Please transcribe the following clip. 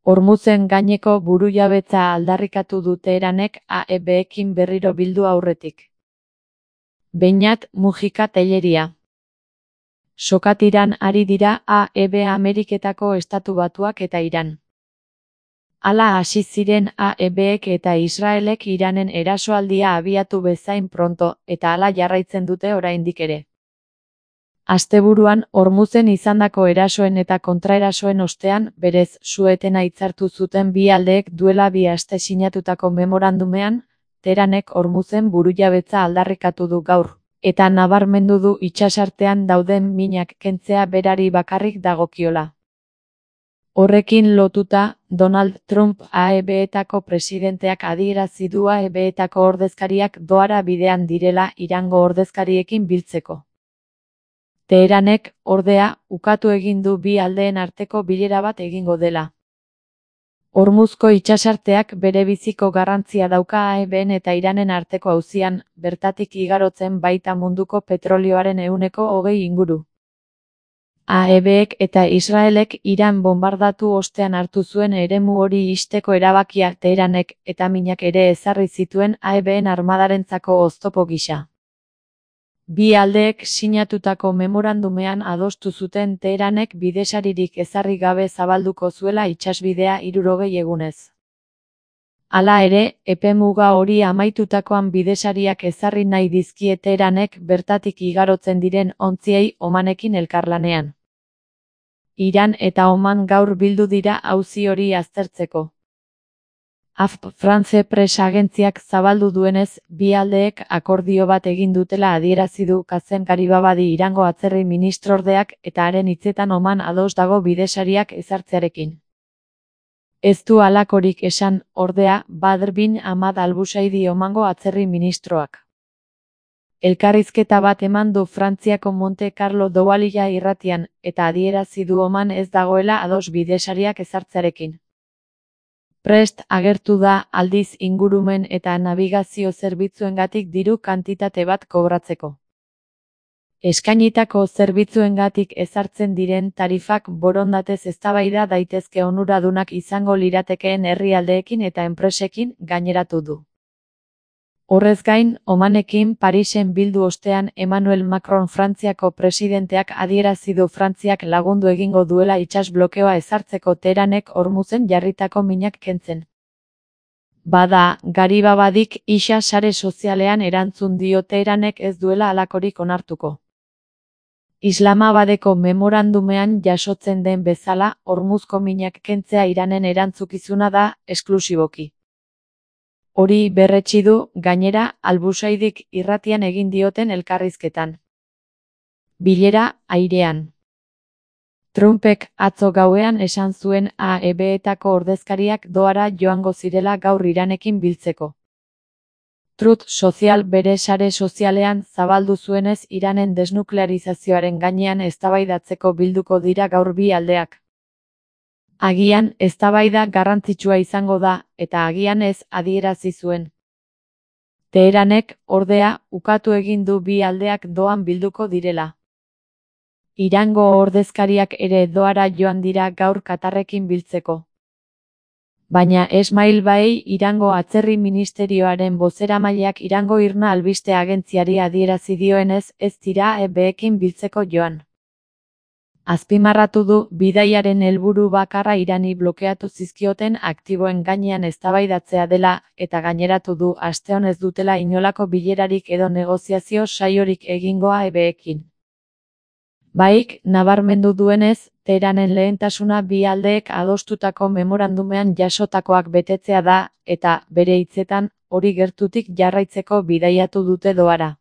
Hormuzen gaineko burujabetza aldarrikatu du Teheranek AEB-ekin berriro bildu aurretik. Beñat Mujika Telleria. Sokatiran ari dira AEB Ameriketako Estatu Batuak eta Iran. Hala hasi ziren AEB-ek eta Israelek Iranen erasoaldia abiatu bezain pronto, eta hala jarraitzen dute oraindik ere. Asteburuan, Hormuzen izandako erasoen eta kontraerasoen ostean, berez su-etena hitzartu zuten bi aldeek duela 2 aste sinatutako memorandumean, Teheranek Hormuzen burujabetza aldarrikatu du gaur, eta nabarmendu du itsasartean dauden minak kentzea berari bakarrik dagokiola. Horrekin lotuta, Donald Trump AEB-etako presidenteak adierazi du AEB-etako ordezkariak Dohara bidean direla Irango ordezkariekin biltzeko. Teheranek, ordea, ukatu egin du bi aldeen arteko bilera bat egingo dela. Hormuzko itsasarteak berebiziko garrantzia dauka AEB-en eta Iranen arteko auzian, bertatik igarotzen baita munduko petrolioaren 20% inguru. AEB-ek eta Israelek Iran bonbardatu ostean hartu zuen eremu hori ixteko erabakia Teheranek eta minak ere ezarri zituen AEB-en armadarentzako oztopo gisa. Bi aldeek sinatutako memorandumean adostu zuten Teheranek bidesaririk ezarri gabe zabalduko zuela itsasbidea 60 egunez. Hala ere, epemuga hori amaitutakoan bidesariak ezarri nahi dizkie Teheranek bertatik igarotzen diren ontziei Omanekin elkarlanean. Iran eta Oman gaur bildu dira auzi hori aztertzeko. France Press agentziak zabaldu duenez, bi aldeek akordio bat egin dutela adierazi du Kazem Garibabadi Irango atzerri ministrordeak eta haren hitzetan Oman ados dago bidesariak ezartzearekin. Ez du halakorik esan, ordea, Badr bin Ahmad al-Busaidi Omango atzerri ministroak. Elkarrizketa bat eman du Frantziako Monte Carlo Doualiya irratian, eta adierazi du Oman ez dagoela ados bidesariak ezartzearekin. Prest agertu da, aldiz ingurumen eta nabigazio zerbitzuengatik diru kantitate bat kobratzeko. Eskainitako zerbitzuengatik ezartzen diren tarifak borondatez eztabaida daitezke onuradunak izango liratekeen herrialdeekin eta enpresekin, gaineratu du. Horrez gain, Omanekin Parisen bildu ostean Emmanuel Macron Frantziako presidenteak adierazi du Frantziak lagundu egingo duela itsas blokeoa ezartzeko Teheranek Hormuzen jarritako minak kentzen. Bada, Garibabadik isa sare sozialean erantzun dio Teheranek ez duela halakorik onartuko. Islamabadeko memorandumean jasotzen den bezala, Hormuzko minak kentzea Iranen erantzukizuna da, esklusiboki. Hori berretsi du, gainera, al-Busaidik irratian egin dioten elkarrizketan. Bilera, airean. Trumpek atzo gauean esan zuen AEB-etako ordezkariak Dohara joango zirela gaur Iranekin biltzeko. Truth Social bere sare sozialean zabaldu zuenez Iranen desnuklearizazioaren gainean eztabaidatzeko bilduko dira gaur bi aldeak. Agian, eztabaida garrantzitsua izango da, eta agian ez, adierazi zuen. Teheranek, ordea, ukatu egin du bi aldeak Dohan bilduko direla. Irango ordezkariak ere Dohara joan dira gaur Katarrekin biltzeko. Baina Esmail Baei Irango atzerri ministerioaren bozeramaileak Irango Irna albiste agentziari adierazi dioenez ez dira AEB-ekin biltzeko joan. Azpimarratu du, bidaiaren helburu bakarra Irani blokeatu zizkioten aktiboen gainean eztabaidatzea dela, eta gaineratu du aste honez dutela inolako bilerarik edo negoziazio saiorik egingo AEB-ekin. Baik, nabarmendu duenez, Teheranen lehentasuna bi aldeek adostutako memorandumean jasotakoak betetzea da, eta, bere hitzetan, hori gertutik jarraitzeko bidaiatu dute Dohara.